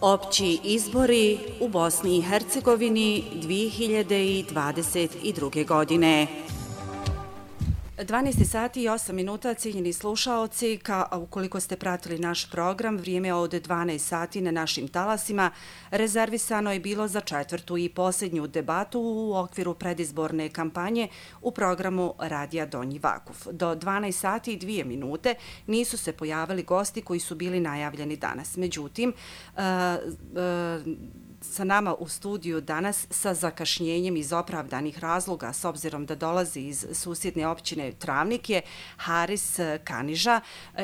Opći izbori u Bosni i Hercegovini 2022. godine. 12 sati i 8 minuta, cijenjeni slušaoci, ukoliko ste pratili naš program, vrijeme od 12 sati na našim talasima rezervisano je bilo za četvrtu i posljednju debatu u okviru predizborne kampanje u programu Radija Donji Vakuf. Do 12 sati i 2 minute nisu se pojavili gosti koji su bili najavljeni danas. Međutim, sa nama u studiju danas sa zakašnjenjem iz opravdanih razloga, s obzirom da dolazi iz susjedne općine Travnik, je Haris Kaniža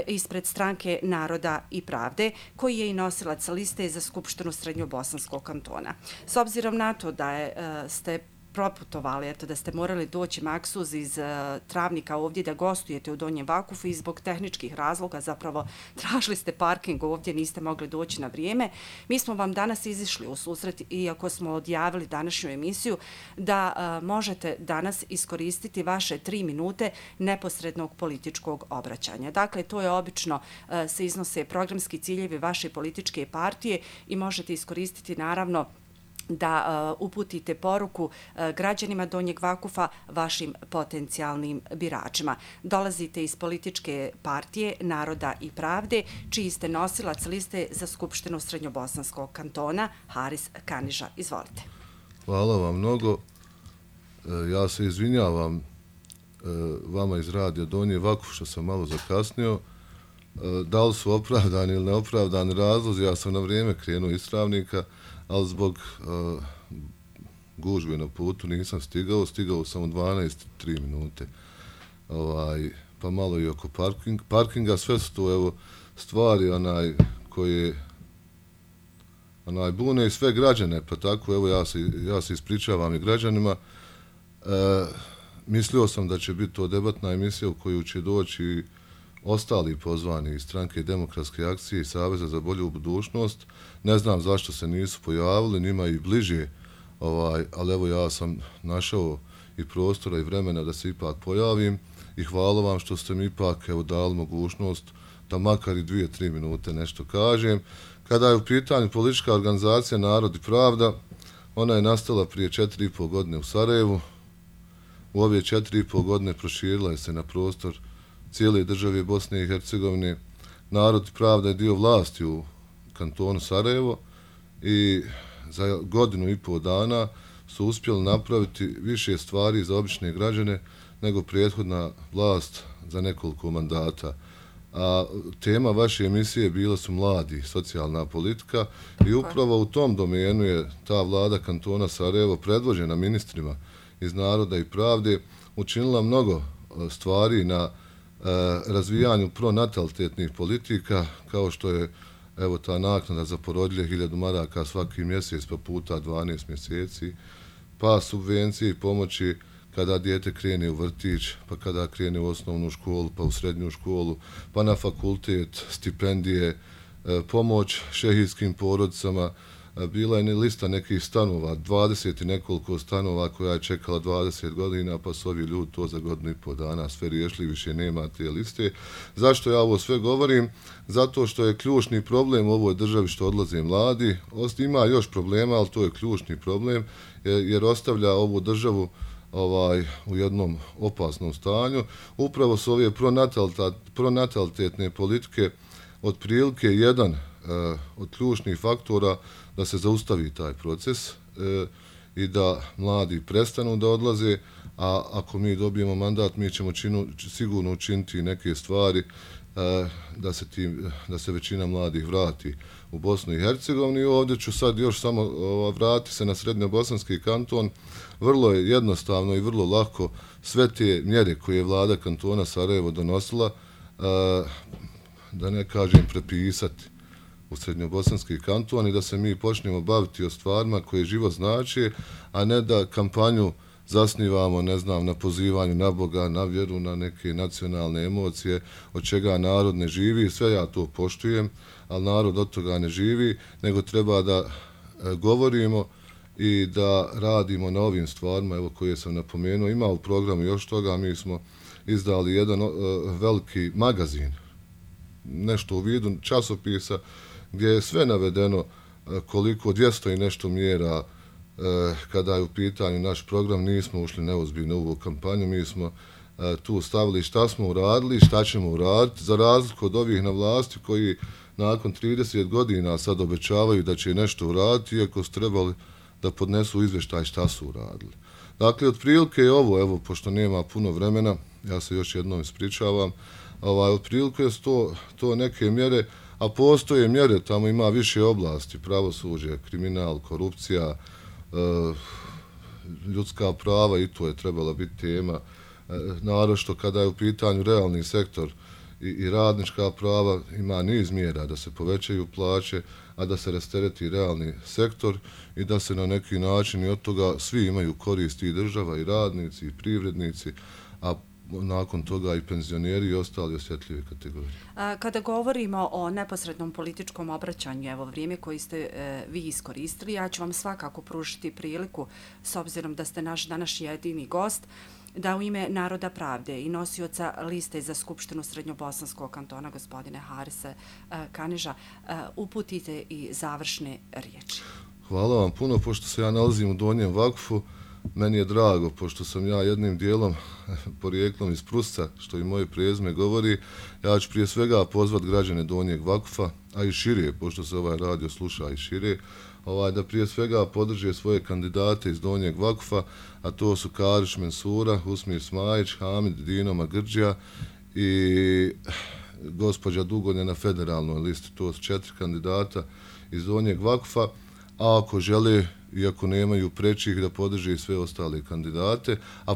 ispred Stranke Naroda i Pravde, koji je i nosilac liste za Skupštinu Srednjobosanskog kantona. S obzirom na to da ste proputovali, da ste morali doći maksuz iz Travnika ovdje da gostujete u Donjem Vakufu i zbog tehničkih razloga zapravo tražili ste parking ovdje, niste mogli doći na vrijeme. Mi smo vam danas izišli u susret, iako smo odjavili današnju emisiju, da možete danas iskoristiti vaše 3 minute neposrednog političkog obraćanja. Dakle, to je obično se iznose programski ciljevi vaše političke partije i možete iskoristiti naravno da uputite poruku građanima Donjeg Vakufa, vašim potencijalnim biračima. Dolazite iz političke partije Naroda i Pravde, čiji ste nosilac liste za Skupštinu Srednjobosanskog kantona. Haris Kaniža, izvolite. Hvala vam mnogo. Ja se izvinjavam vama iz Radija Donji Vakuf što sam malo zakasnio. Da li su opravdani ili neopravdani razlozi, ja sam na vrijeme krenuo iz Travnika, ali zbog gužve na putu nisam stigao sam u 12-3 minute. Pa malo i oko parkinga, sve su to stvari koje bune i sve građane, pa tako ja se ispričavam i građanima. Mislio sam da će biti to debatna emisija u koju će doći ostali pozvani iz Stranke demokratske akcije i Saveza za bolju budućnost. Ne znam zašto se nisu pojavili, njima i bliže, ali ja sam našao i prostora i vremena da se ipak pojavim i hvala vam što ste mi ipak dali mogućnost da makar i 2-3 minute nešto kažem. Kada je u pitanju politička organizacija Narod i Pravda, ona je nastala prije 4,5 godine u Sarajevu. U ove 4,5 godine proširila je se na prostor cijele države Bosne i Hercegovine. Narod i Pravda je dio vlasti u kantonu Sarajevo i za 1,5 dana su uspjeli napraviti više stvari za obične građane nego prethodna vlast za nekoliko mandata. A tema vaše emisije bila su mladi, socijalna politika i upravo u tom domenu je ta vlada kantona Sarajevo predvođena ministrima iz Naroda i Pravde učinila mnogo stvari na razvijanju pronatalitetnih politika, kao što je ta naknada za porodilje 1000 maraka svaki mjesec pa puta 12 mjeseci, pa subvencije i pomoći kada dijete krene u vrtić, pa kada krene u osnovnu školu, pa u srednju školu, pa na fakultet, stipendije, pomoć šehijskim porodicama. Bila je lista nekih stanova, 20 i nekoliko stanova koja je čekala 20 godina, pa su ovi ljudi to za 1,5 dana sve riješili, više nema te liste. Zašto ja ovo sve govorim? Zato što je ključni problem u ovoj državi što odlaze mladi. Ima još problema, ali to je ključni problem, jer ostavlja ovu državu u jednom opasnom stanju. Upravo su ove pronatalitetne politike otprilike jedan od ključnih faktora da se zaustavi taj proces i da mladi prestanu da odlaze, a ako mi dobijemo mandat, mi ćemo sigurno učiniti neke stvari da se većina mladih vrati u Bosnu i Hercegovinu. I ovdje ću sad još samo vratiti se na Srednjobosanski kanton. Vrlo je jednostavno i vrlo lako sve te mjere koje je vlada kantona Sarajevo donosila, da ne kažem prepisati u Srednjobosanski kanton i da se mi počnemo baviti o stvarima koje život znači, a ne da kampanju zasnivamo, na pozivanju na Boga, na vjeru, na neke nacionalne emocije, od čega narod ne živi. Sve ja to poštujem, ali narod od toga ne živi, nego treba da govorimo i da radimo na ovim stvarima koje sam napomenuo. Ima u programu još toga, mi smo izdali jedan veliki magazin, nešto u vidu časopisa, gdje je sve navedeno koliko 200 i nešto mjera kada je u pitanju naš program, nismo ušli neozbiljno u ovu kampanju, mi smo tu stavili šta smo uradili, šta ćemo uraditi, za razliku od ovih na vlasti koji nakon 30 godina sad obećavaju da će nešto uraditi, iako su trebali da podnesu izvještaj šta su uradili. Dakle, otprilike je ovo, evo, pošto nema puno vremena, ja se još jednom ispričavam, otprilike su to neke mjere, a postoje mjere, tamo ima više oblasti, pravosuđe, kriminal, korupcija, ljudska prava, i to je trebala biti tema, naročito kada je u pitanju realni sektor i radnička prava, ima niz mjera da se povećaju plaće, a da se rastereti realni sektor i da se na neki način i od toga svi imaju koristi, i država, i radnici, i privrednici, a nakon toga i penzioneri i ostali osjetljive kategorije. Kada govorimo o neposrednom političkom obraćanju, evo vrijeme koje ste vi iskoristili, ja ću vam svakako pružiti priliku, s obzirom da ste naš današnji jedini gost, da u ime Naroda pravde i nosioca liste za Skupštinu Srednjobosanskog kantona, gospodine Harise Kaniža, uputite i završne riječi. Hvala vam puno, pošto se ja nalazim u Donjem Vakfu. Meni je drago, pošto sam ja jednim dijelom porijeklom iz Prusca, što i moje prezime govori, ja ću prije svega pozvat građane Donjeg Vakfa, a i šire, pošto se ovaj radio sluša i šire, da prije svega podrže svoje kandidate iz Donjeg Vakfa, a to su Kariš Mensura, Usmir Smajić, Hamid Dino Magrdžija i gospođa Dugonja na federalnoj listi. To su 4 kandidata iz Donjeg Vakfa, a ako žele, iako nemaju prečih, da podrže i sve ostale kandidate, a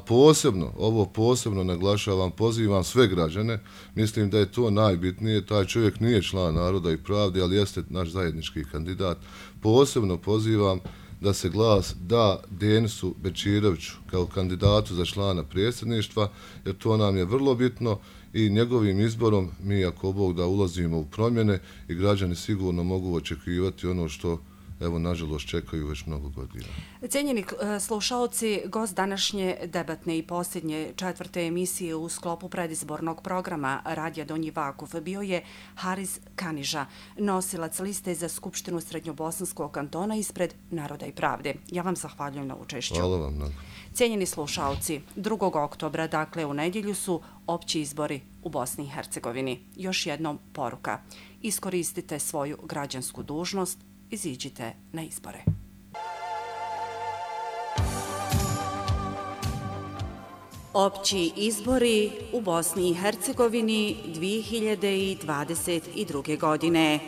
posebno naglašavam, pozivam sve građane, mislim da je to najbitnije, taj čovjek nije član Naroda i pravde, ali jeste naš zajednički kandidat, posebno pozivam da se glas da Denisu Bečiroviću kao kandidatu za člana predsjedništva, jer to nam je vrlo bitno i njegovim izborom mi, ako Bog da, ulazimo u promjene i građani sigurno mogu očekivati ono što evo, nažalost, čekaju već mnogo godina. Cijenjeni slušaoci, gost današnje debatne i posljednje 4. emisije u sklopu predizbornog programa Radija Donji Vakuf bio je Haris Kaniža, nosilac liste za Skupštinu Srednjobosanskog kantona ispred Naroda i pravde. Ja vam zahvaljujem na učešću. Hvala vam mnogo. Cijenjeni slušaoci, 2. oktobra, dakle u nedjelju, su opći izbori u Bosni i Hercegovini. Još jednom poruka. Iskoristite svoju građansku dužnost, iziđite na izbore. Opći izbori u Bosni i Hercegovini 2022. godine.